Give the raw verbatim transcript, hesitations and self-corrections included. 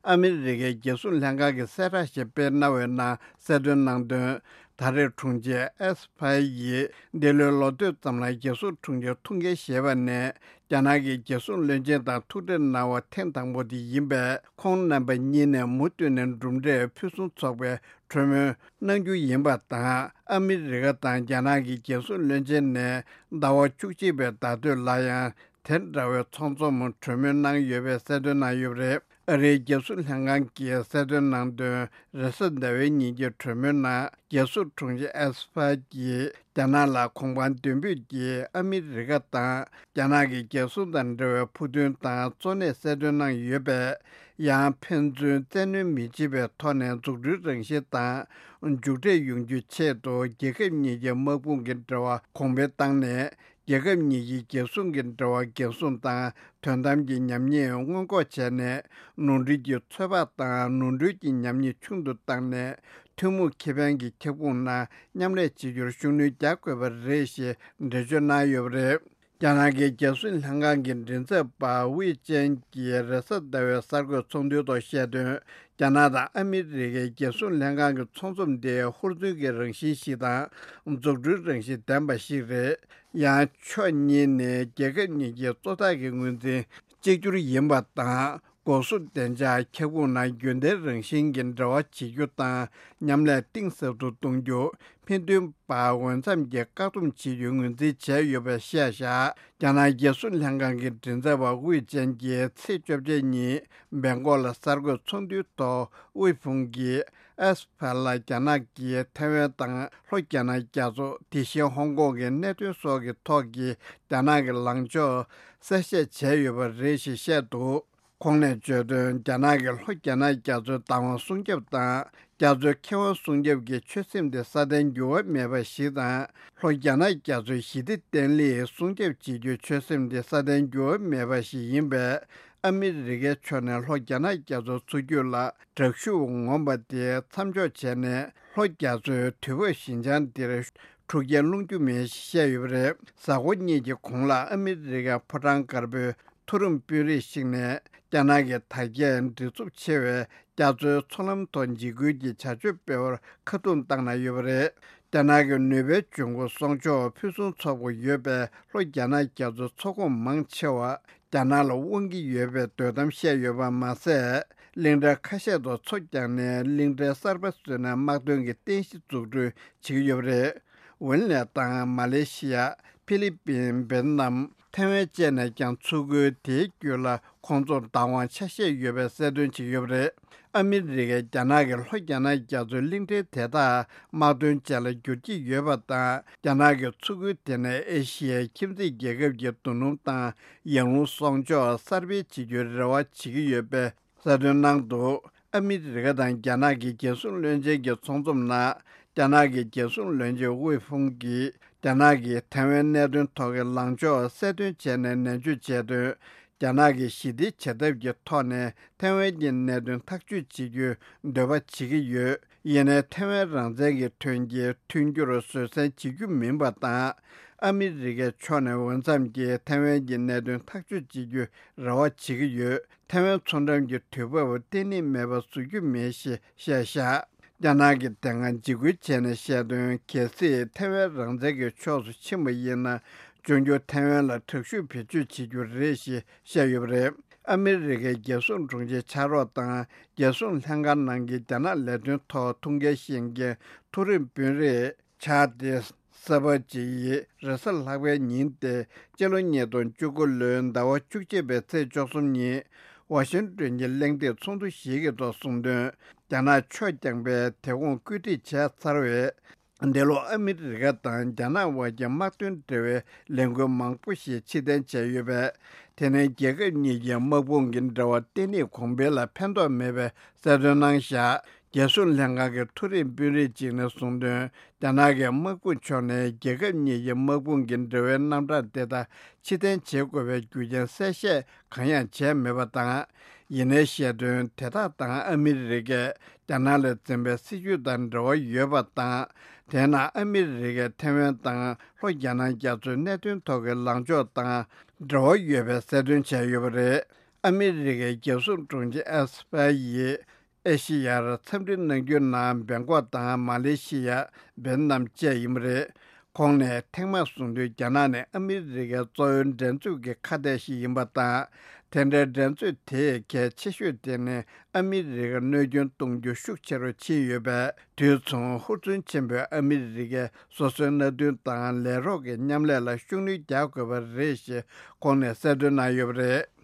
ཨ་མི་རི་ཀའི་རྒྱལ་སྲུང་ལྷན་ཁང་གིས་གསལ་བསྒྲགས་ཤིག་སྤེལ་གནང་བའི་ནང་གསལ་སྟོན་གནང་དོན། ད་རེས་དྲུང་ཆེ་ཨེས་ཕ་ཡིས་འདི་ལོའི་ལོ་སྟོད་ཙམ་ལ་རྒྱལ་སྲུང་དྲུང་ཆེ་ཐུགས་འགན་བཞེས་པ་ནས། རྒྱ་ནག་གི་རྒྱལ་སྲུང་བློན་ཆེན་དང་ཐུག་འཕྲད་གནང་བ་ཐེངས་དང་པོ་དེ་ཡིན་པས། ཁོང་རྣམ་པ་གཉིས་ནས་མུ་མཐུད་ནས་གྲུབ་འབྲས་ཕུན་སུམ་ཚོགས་པའི་གྲོས་མོལ་གནང་རྒྱུ་ཡིན་པ་དང་། ཨ་མི་རི་ཀ་དང་རྒྱ་ནག་གི་རྒྱལ་སྲུང་བློན་ཆེན་ནས་ཟླ་བ་བཅུ་གཅིག་པའི་ཟླ་སྟོད་ལ་ཡང་དེ་འདྲ་བའི་ཚོགས་འཛོམས་གྲོས་མོལ་གནང་ཡོད་པའི་གསལ་སྟོན་གནང་ཡོད་པ་རེད། ཨ་རིའི་རྒྱལ་སྲུང་ལྷན་ཁང་གིས་གསལ་སྟོན་གནང་དོན། རེས་གཟའ་ཟླ་བའི་ཉིན་གྱི་གྲོས་མོལ་ནང་རྒྱལ་སྲུང་དྲུང་ཆེ་ཨེས་ཕ་གྱིས་རྒྱ་ནག་ལ་གོང་འཕང་མདུན་སྤོས་ཀྱིས་ཨ་མི་རི་ཀ་དང་རྒྱ་ནག་གི་རྒྱལ་སྲུང་དང་འབྲེལ་བའི་ཕུགས་འདུན་དང་གཙོ་གནད་གསལ་སྟོན་གནང་ཡོད་པས། ཡང་ཕན་ཚུན་བཙན་གནོན་མི་བྱེད་པའི་ཐོག་ནས་འཛུགས་སྐྲུན་རང་བཞིན་དང་མཇུག་འབྲས་ཡོང་རྒྱུའི་ཆེད་དུ་རྒྱལ་ཁབ་གཉིས་ཀྱི་དམག་དཔུང་གི་འབྲེལ་བ་གོང་འཕེལ་བཏང་ནས། རྒྱལ་ཁབ་གཉིས་ཀྱི་རྒྱལ་སྲུང་གི་འབྲེལ་བ་འགན་སྲུང་དང་དོན་དམ་གྱི་ཉམས་ཉེས་སྔོན་འགོག་བྱས་ནས། ནོར་འཁྲུལ་གྱི་ཚོད་དཔག་དང་ནོར་འཁྲུལ་གྱི་ཉམས་ཉེས་ཆུང་དུ་བཏང་ནས། ཐུན་མོང་ཁེ་ཕན་གྱི་ཁྱབ་ཁོངས་ནང་མཉམ་ལས་བྱེད་རྒྱུར་ཤུགས་སྣོན་རྒྱག་དགོས་པ་རེད་ཞེས་འགྲེལ་བརྗོད་གནང་ཡོད་པ་རེད། རྒྱ་ནག་གི་རྒྱལ་སྲུང་ལྷན་ཁང་གི་མགྲིན་ཚབ་པ་ཝེ་ཅན་གྱིས་རེས་གཟའ་ཟླ་བའི་གསར་འགོད་ཚོགས་འདུའི་ཐོག་བཤད་དོན། རྒྱ་ནག་དང་ཨ་མི་རི་ཀའི་རྒྱལ་སྲུང་ལྷན་ཁང་གི་ཚོགས་འཛོམས་དེ་ཧུར་བརྩོན་གྱི་རང་བཞིན་ཞིག་དང་། འཛུགས་སྐྲུན་རང་བཞིན་ལྡན་པ་ཞིག་རེད། ཡང་ཕྱོགས་གཉིས་ནས་རྒྱལ་ཁབ་གཉིས་ཀྱི་གཙོ་བདག་གི་ངོས་འཛིན་གཅིག་གྱུར་ཡིན་པ་དང་། འགོག་སྲུང་བདེ་འཇགས་ཁྱབ་ཁོངས་ནང་རྒྱུན་ལྡན་རང་བཞིན་གྱི་འབྲེལ་བ་བྱེད་རྒྱུ་དང་མཉམ་ལས་གཏིང་ཟབ་ཏུ་གཏོང་རྒྱུ། མི་མཐུན་པ་འོས་འཚམ་གྱིས་བཀག་སྡོམ་བྱེད་རྒྱུའི་ངོས་འཛིན་བྱས་ཡོད་པ་བཤད་བཞག་རྒྱ་ནག་རྒྱལ་སྲུང་ལྷན་ཁང་གི་མགྲིན་ཚབ་པ་ཝེ་ཅན་གྱིས་ཚེས་བཅོ་བརྒྱད་ཉིན་སྦེང་ཀོག་ལ་གསར་འགོད་ཚོགས་འདུའི་ཐོག་ཝེ་ཕུང་གིས་ཨེས་ཕ་ལ་རྒྱ་ནག་གིས་ཐའེ་ཝན་དང་ལྷོ་རྒྱ་ནག་རྒྱ་མཚོ། དེ་བཞིན་ཧོང་ཀོང་གི་གནད་དོན་སོགས་ཀྱི་ཐོག་གི་རྒྱ་ནག་གི་ལངས་ཕྱོགས་གསལ་བཤད་བྱས་ཡོད་པ་རེད་ཞེས་བཤད་འདུག་ཁོང་ནས་བརྗོད་དོན། རྒྱ་ནག་གིས་ལྷོ་རྒྱ་ནག་རྒྱ་མཚོའི་བདག་དབང་སྲུང་སྐྱོབ་དང་། རྒྱ་མཚོའི་ཁེ་དབང་སྲུང་སྐྱོབ་ཀྱི་ཆོད་སེམས་དེ་སྲ་བརྟན་འགྱུར་བ་མེད་པ་ཞིག་དང་། ལྷོ་རྒྱ་ནག་རྒྱ་མཚོའི་ཞི་བདེ་བརྟན་ལྷིང་སྲུང་སྐྱོབ་བྱེད་རྒྱུའི་ཆོད་སེམས་དེ་སྲ་བརྟན་འགྱུར་བ་མེད་པ་ཞིག་ཡིན་པས། ཨ་མི་རི་ཀའི་ཕྱོགས་ནས་ལྷོ་རྒྱ་ནག་རྒྱ་མཚོ་མཚོ་རྒྱུད་ལ་དྲག་ཤུགས་ངོམ་པ་དེ་མཚམས་འཇོག་བྱས་ནས། ལྷོ་རྒྱ་མཚོའི་དུས་བབ་ཞི་འཇམ་འདིར་འཁྲུག་རྐྱེན་སློང་རྒྱུ་མིན་ཞེས་བཤད་ཡོད་པ་རེད། གཟའ་འཁོར་གཉིས་ཀྱི་གོང་ལ་ཨ་མི་རི་ཀའི་ཕོ་བྲང་དཀར་པོའི་མཐོ་རིམ་དཔོན་རིགས་ཤིག་ནས། རྒྱ་ནག་གི་དར་རྒྱས་མགྲིན་ཚབས་ཆེ་བའི་རྒྱ་མཚོའི་མཚོ་ལམ་ཐོག་འཇིགས་སྐུལ་གྱི་བྱ་སྤྱོད་སྤེལ་བར་ཁ་རྡུང་བཏང་གནང་ཡོད་པ་རེད། རྒྱ་ནག་གི་ནུས་པའི་འབྱུང་ཁུངས་སྲུང་སྐྱོབ་ཕུན་སུམ་ཚོགས་པོ་ཡོད་པས། ལྷོ་རྒྱ་ནག་རྒྱ་མཚོའི་མཚོ་ཁོངས་མང་ཆེ་བ་རྒྱ་ནག་ལ་དབང་གི་ཡོད་པའི་འདོད་གཏམ་བཤད་ཡོད་པ་མ་ཟད། གླིང་ཕྲན་ཁ་ཤས་དང་མཚོ་བརྒྱངས་ནས་གླིང་ཕྲན་གསར་པ་བཟོས་ནས་དམག་དོན་གྱི་རྟེན་གཞི་འཛུགས་སྐྲུན་བྱེད་ཀྱི་ཡོད་པ་རེད། ཝིན་ལེ་དང་མ་ལེ་ཤི་ཡ། ཧྥི་ལི་པིན། ཝེ་ཏི་ནམ། ཐའེ་ཝན་བཅས་ནས་ཀྱང་མཚོ་ཁུལ་དེའི་རྒྱུད་ལ་ཁོང་ཚོར་བདག་དབང་ཆ་ཤས་ཡོད་པའི་གསལ་སྟོན་བྱས་ཡོད་པ་རེད། ཨ་མི་རི་ཀས་རྒྱ་ནག་གིས་ལྷོ་རྒྱ་ནག་རྒྱ་མཚོའི་གླིང་ཕྲན་དེ་དག་དམག་དོན་ཅན་ལ་བསྒྱུར་གྱི་ཡོད་པ་དང་། རྒྱ་ནག་གིས་མཚོ་ཁུལ་དེ་ནས་ཨེ་ཤི་ཡའི་ཁྱིམ་མཚེས་རྒྱལ་ཁབ་ཀྱི་རྡོ་སྣུམ་དང་ཡང་རླུང་གསོག་འཇོག་གསར་སྤེལ་བྱེད་རྒྱུའི་རེ་བ་བྱེད་ཀྱི་ཡོད་པའི་གསལ་སྟོན་གནང་འདུག་ཨ་མི་རི་ཀ་དང་རྒྱ་ནག་གི་རྒྱལ་སྲུང་བློན་ཆེན་གྱི་ཚོགས་འཛོམས་ནང་། རྒྱ་ནག་གི་རྒྱལ་སྲུང་བློན་ཆེན་ཝེ་ཧྥུང་གིས། རྒྱ་ནག་གིས་ཐའེ་ཝན་གནད་དོན་ཐོག་གི་ལངས་ཕྱོགས་གསལ་སྟོན་བྱས་ནས་ནན་བརྗོད་བྱས་དོན། རྒྱ་ནག་གིས་ཞི་བདེའི་བྱེད་ཐབས་ཀྱི་ཐོག་ནས་ཐའེ་ཝན་གྱི་གནད་དོན་ཐག་གཅོད་བྱེད་རྒྱུའི་འདོད་པ་བྱེད་ཀྱི་ཡོད། ཡིན་ནའི་ཐའེ་ཝན་རང་བཙན་གྱི་དོན་གྱི་མཐུན་འགྱུར་བཟོད་བསྲན་བྱེད་རྒྱུ་མིན་པ་དང་། ཨ་མི་རི་ཀའི་ཕྱོགས་ནས་འོས་འཚམ་གྱིས་ཐའེ་ཝན་གྱི་གནད་དོན་ཐག་གཅོད་བྱེད་རྒྱུའི་རེ་བ་བྱེད་ཀྱི་ཡོད། ཐའེ་ཝན་མཚོ་འགྲམ་གྱི་དུས་བབ་བརྟན་ལྷིང་མེད་པ་བཟོ་རྒྱུ་མིན་ཞེས་བཤད་བཞག་རྒྱ་ནག་གི་དེ་སྔ་འཇིགས་སྐུལ་བྱས་ནས་བཤད་དོན། གལ་སྲིད་ཐའེ་ཝན་རང་བཙན་གྱི་ཕྱོགས་སུ་ཕྱིན་པ་ཡིན་ན། འབྱུང་འགྱུར་ཐའེ་ཝན་ལ་དྲག་ཤུགས་བེད་སྤྱོད་བྱེད་རྒྱུ་རེད་ཞེས་བཤད་ཡོད་པ་རེད། ཨ་མི་རི་ཀའི་རྒྱལ་སྲུང་དྲུང་ཆེ་ཕྱག་རོགས་དང་། རྒྱལ་སྲུང་ལྷན་ཁང་ནང་གི་རྒྱ་ནག་ལས་དོན་ཐོག་ཐུགས་འགན་བཞེས་མཁན་མཐོ་རིམ་དཔོན་རིགས། ཆག་སྟེ། སེ་པ་ཅི་ཡིས་རེས་གཟའ་ལྷག་པའི་ཉིན་ཏེ་སྤྱི་ལོ་ཉིས་སྟོང་བཅུ་དགུ་ལོའི་ཟླ་བ་བཅུ་གཅིག་པའི་ཚེས་བཅུ་གསུམ་ཉིན། ཝ་ཤིང་ཏོན་གྱི་གླེང་སྟེགས་ཚོགས་འདུ་ཞིག་གི་ཐོག་གསུངས་དོན། རྒྱ་ནག་ཕྱོགས་རྐྱང་པས་དེ་གོང་བཀོད་སྒྲིག་བྱས་ཚར་བའི། འདི་ལོ་ཨ་མི་རི་ཀ་དང་རྒྱ་ནག་དབར་གྱི་དམག་དོན་འབྲེལ་བའི་ལས་འགུལ་མང་པོ་ཞིག་ཕྱིར་འཐེན་བྱས་ཡོད་པས། དེ་ནི་རྒྱལ་ཁབ་གཉིས་ཀྱི་དམག་དཔུང་གི་འབྲེལ་བ་བརྟན་ལྷིང་གོང་འཕེལ་ལ་ཕན་ཐོགས་མེད་པའི་གསལ་སྟོན་གནང་བཞག་རྒྱལ་སྲུང་ལྷན་ཁང་གི་མཐོ་རིམ་དཔོན་རིགས་གཅིག་ནས་གསུངས་དོན། རྒྱ་ནག་གི་དམག་དཔུང་ཕྱོགས་ནས་རྒྱལ་ཁབ་གཉིས་ཀྱི་དམག་དཔུང་གི་འབྲེལ་བའི་རྣམ་གྲངས་དེ་དག་ཕྱིར་འཐེན་བྱེད་དགོས་པའི་རྒྱུ་རྐྱེན་གསལ་བཤད་གང་ཡང་བྱས་མེད་པ་དང་། ཡིན་ནའི་བཤད་དོན་དེ་དག་དང་ཨ་མི་རི་ཀས་རྒྱ་ནག་ལ་འཛིན་པའི་སྲིད་བྱུས་དང་འབྲེལ་བ་ཡོད་པ་དང་། དེས་ན་ཨ་མི་རི་ཀས་ཐའེ་ཝན་དང་ལྷོ་རྒྱ་ནག་རྒྱ་མཚོའི་གནད་དོན་ཐོག་གི་ལངས་ཕྱོགས་དང་འབྲེལ་བ་ཡོད་པའི་གསལ་སྟོན་བྱས་ཡོད་པ་རེད། ཨ་མི་རི་ཀའི་རྒྱལ་སྲུང་དྲུང་ཆེ་ཨེས་པེ་ཡིས་ཨེ་ཤི་ཡར་འཚམས་འདྲི་གནང་རྒྱུའི་ནང་སྦེང་ཀོག་དང་མ་ལེ་ཤི་ཡ། ཝེ་ཏི་ནམ་བཅས་ཡིན་པ་རེད། ཁོང་ནས་ཐེངས་མང་གསུངས་དོན། རྒྱ་ནག་ནི་ཨ་མི་རི་ཀའི་གཙོ་བོའི་འགྲན་རྩོད་ཀྱི་ཁ་གཏད་ཞིག་ཡིན་པ་དང་། དེ་འདྲའི་འགྲན་རྩོད་དེའི་གལ་ཆེ་ཤོས་དེ་ནི་ཨ་མི་རི་ཀར་གནོད་སྐྱོན་གཏོང་རྒྱུ་ཤུགས་ཆེ་རུ་ཕྱིན་ཡོད་པས། དུས་མཚུངས་ཧུར་བརྩོན་ཆེན་པོས་ཨ་མི་རི་ཀས་སོ་སོའི་མནའ་མཐུན་དང་ལས་རོགས་ཀྱི་མཉམ་ལས་ལ་ཤུགས་སྣོན་རྒྱག་དགོས་པ་རེད་ཞེས་ཁོང་ནས་གསལ་སྟོན་གནང་ཡོད་པ་རེད།